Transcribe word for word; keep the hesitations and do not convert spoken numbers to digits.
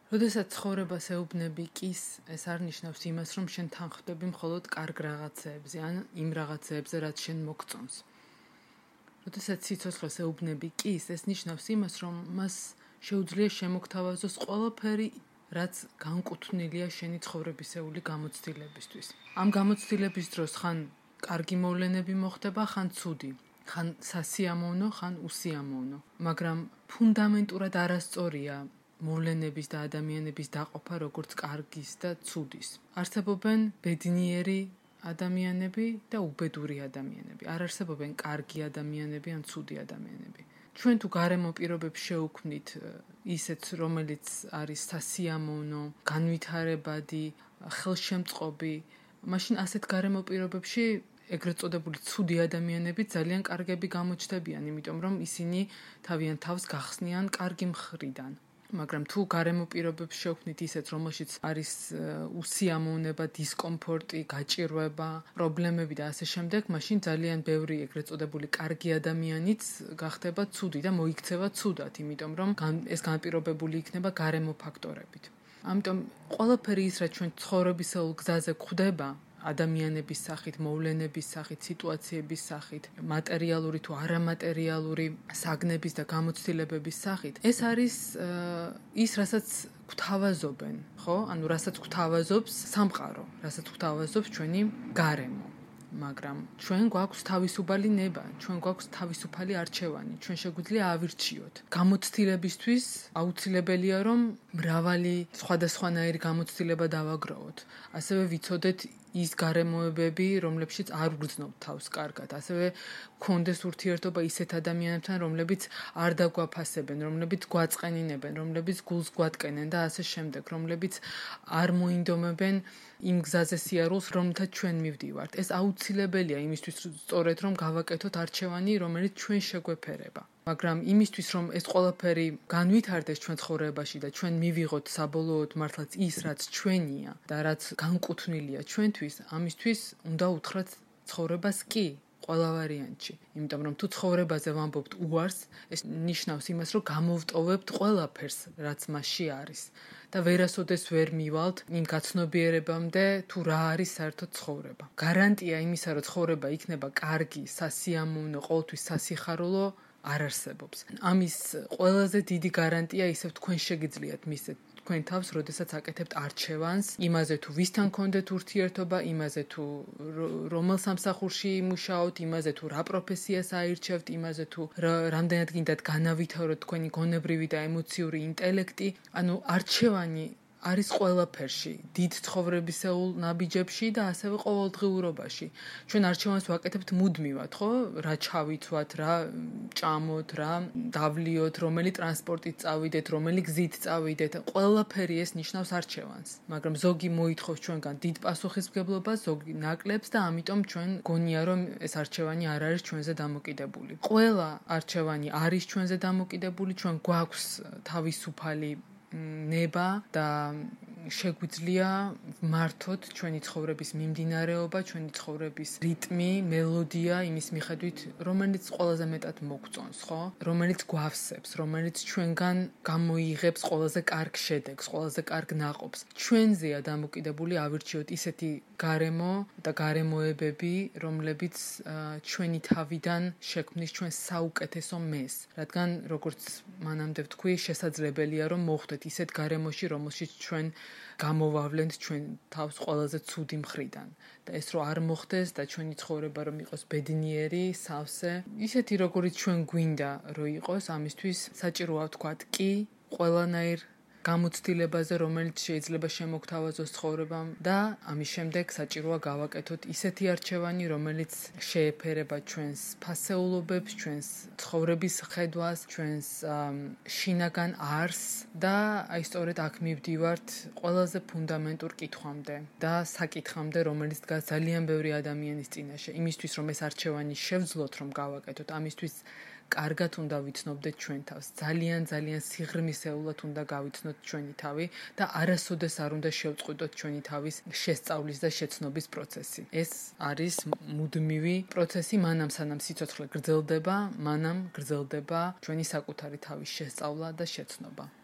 როდესაც ცხოვრებას ეუბნები კის, ეს არ ნიშნავს იმას, რომ შენ თანხმდები მხოლოდ კარგ რაღაცეებზე, ან იმ რაღაცეებზე, რაც შენ მოგწონს. როდესაც სიცოცხლეს ეუბნები კის, ეს ნიშნავს იმას, რომ მას შეუძლია შემოგთავაზოს ყველაფერი, რაც განკუთვნილია შენი ცხოვრებისეული გამოცდილებისთვის. ამ გამოცდილების დროს ხან კარგი მოვლენები მოხდება, ხან ცუდი, ხან სასიამოვნო, ხან უსიამოვნო, მაგრამ ფუნდამენტურად არასწორია მოვლენების და ადამიანების დაყოფა როგორც კარგის და ცუდის. არსებობენ ბედნიერი ადამიანები და უბედური ადამიანები. არ არსებობენ კარგი ადამიანები ან ცუდი ადამიანები. ჩვენ თუ გარემო პირობებს შევქმნით ისეც, რომელიც არის სასიამოვნო, განვითარებადი, ხელშემწყობი, მაშინ ასეთ გარემო პირობებში ეგრეთ წოდებული ცუდი ადამიანები ძალიან კარგები გამოჩნდებიან, იმიტომ რომ ისინი თავიანთ თავს გახსნიან კარგი მხრიდან. მაგრამ თუ გარემო პირობებს შევქმნით ისეთ, რომელშიც არის უსიამოვნება, დისკომფორტი, გაჭირვება, პრობლემები და ასე შემდეგ, მაშინ ძალიან ბევრი ეგრეთ წოდებული კარგი ადამიანიც გახდება ცუდი და მოიქცევა ცუდად, იმიტომ რომ ეს განპირობებული იქნება გარემო ფაქტორებით. ამიტომ ყველაფერი ის, რაც ჩვენ ცხოვრებისეულ გზაზე გვხვდება, ადამიანების სახით, მოვლენების სახით, სიტუაციების სახით, მატერიალური თუ არამატერიალური საგნების და გამოცდილებების სახით, ეს არის ის, რასაც გვთავაზობენ, ხო? ანუ რასაც გვთავაზობს სამყარო, რასაც გვთავაზობს ჩვენი გარემო. მაგრამ ჩვენ გვაქვს თავისუფალი ნება, ჩვენ გვაქვს თავისუფალი არჩევანი, ჩვენ შეგვიძლია ავირჩიოთ. გამოცდილებისთვის აუცილებელია, რომ მრავალი სხვადასხვანაირი გამოცდილება დავაგროვოთ. ასევე ვიცოდეთ ის გარემოებები, რომლებშიც არ ვგრძნობთ თავს კარგად, ასევე გქონდეს ურთიერთობა ისეთ ადამიანებთან, რომლებიც არ დაგვაფასებენ, რომლებიც გვაწყენინებენ, რომლებიც გულს გვატკენენ და ასე შემდეგ, რომლებიც არ მოინდომებენ იმ გზაზე სიარულს, რომლითაც ჩვენ მივდივართ. ეს აუცილებელია იმისთვის, სწორედ რომ გავაკეთოთ არჩევანი, რომელიც ჩვენ შეგვეფერება. მაგრამ იმისთვის, რომ ეს ყველაფერი განვითარდეს ჩვენ ცხოვრებაში და ჩვენ მივიღოთ საბოლოოდ მართლაც ის, რაც ჩვენია და რაც განკუთვნილია ჩვენთვის, ამისთვის უნდა უთხრათ ცხოვრებას კი. ყველა ვარიანტში. იმიტომ რომ თუ ცხოვრებაზე ვამბობთ უარს, ეს ნიშნავს იმას, რომ გამოვტოვებთ ყველაფერს, რაც მასში არის და ვერასოდეს ვერ მივალთ იმ გაცნობიერებამდე, თუ რა არის საერთოდ ცხოვრება. გარანტია იმისა, რომ ცხოვრება იქნება კარგი, სასიამოვნო, ყოველთვის სასიხარულო არ არსებობს. ამის ყველაზე დიდი გარანტია ისევ თქვენ შეგიძლიათ მისცეთ თქვენ თავს, როდესაც აკეთებთ არჩევანს, იმაზე თუ ვისთან გქონდეთ ურთიერთობა, იმაზე თუ რომელ სამსახურში იმუშაოთ, იმაზე თუ რა პროფესიას აირჩევთ, იმაზე თუ რამდენად გინდათ განავითაროთ თქვენი გონებრივი და ემოციური ინტელექტი, ანუ არჩევანი არის ყველაფერში, დიდ ცხოვრებისეულ ნაბიჯებში და ასევე ყოველდღიურობაში. ჩვენ არჩევანს ვაკეთებთ მუდმივად, ხო? რა ჩავიცვათ, რა ჭამოთ, რა დავლიოთ, რომელი ტრანსპორტით წავიდეთ, რომელი გზით წავიდეთ, ყველაფერი ეს ნიშნავს არჩევანს. მაგრამ ზოგი მოითხოვს ჩვენგან დიდ პასუხისმგებლობას, ზოგი ნაკლებს და ამიტომ ჩვენ გონია, რომ ეს არჩევანი არ არის ჩვენზე დამოკიდებული. ყველა არჩევანი არის ჩვენზე დამოკიდებული, ჩვენ გვაქვს თავისუფალი ნება და შეგვიძლია მართოთ ჩვენი ცხოვრების მიმდინარეობა, ჩვენი ცხოვრების რიტმი, მელოდია იმის მიხედვით, რომელიც ყველაზე მეტად მოგწონს, ხო? რომელიც გვავსებს, რომელიც ჩვენგან გამოიღებს ყველაზე კარგ შედეგს, ყველაზე კარგ ნაყოფს. ჩვენზეა დამოკიდებული ავირჩიოთ ისეთი გარემო და გარემოებები, რომლებიც ჩვენი თავიდან შექმნის ჩვენ საუკეთესო მეს, რადგან როგორც მანამდე ვთქვი, შესაძლებელია რომ მოხვდეთ ისეთ გარემოში, რომელშიც ჩვენ გამოვავლენთ ჩვენ თავს ყველაზე ცუდი მხრიდან და ეს რო არ მოხდეს და ჩვენი ცხოვრება რომ იყოს ბედნიერი, სავსე, ისეთი როგორიც ჩვენ გვინდა რომ იყოს, ამისთვის საჭიროა ვთქვათ კი ყველანაირ გამოცდილებაზე, რომელიც შეიძლება შემოგთავაზოს ცხოვრებამ და ამის შემდეგ საჭიროა გავაკეთოთ ისეთი არჩევანი, რომელიც შეეფერება ჩვენს ფასეულობებს, ჩვენს ცხოვრების ხედვას, ჩვენს შინაგან არსს და აი სწორედ აქ მივდივართ ყველაზე ფუნდამენტურ კითხვამდე და საკითხამდე, რომელიც დგას ძალიან ბევრი ადამიანის წინაშე. იმისთვის, რომ ეს არჩევანი შევძლოთ, რომ გავაკეთოთ, ამისთვის კარგად უნდა ვიცნობდეთ ჩვენ თავს. ძალიან ძალიან სიღრმისეულად უნდა გავიცნოთ ჩვენი თავი და არასოდეს არ უნდა შევწყვიტოთ ჩვენი თავის შესწავლის და შეცნობის პროცესი. ეს არის მუდმივი პროცესი, მანამ სანამ სიცოცხლე გრძელდება, მანამ გრძელდება ჩვენი საკუთარი თავის შესწავლა და შეცნობა.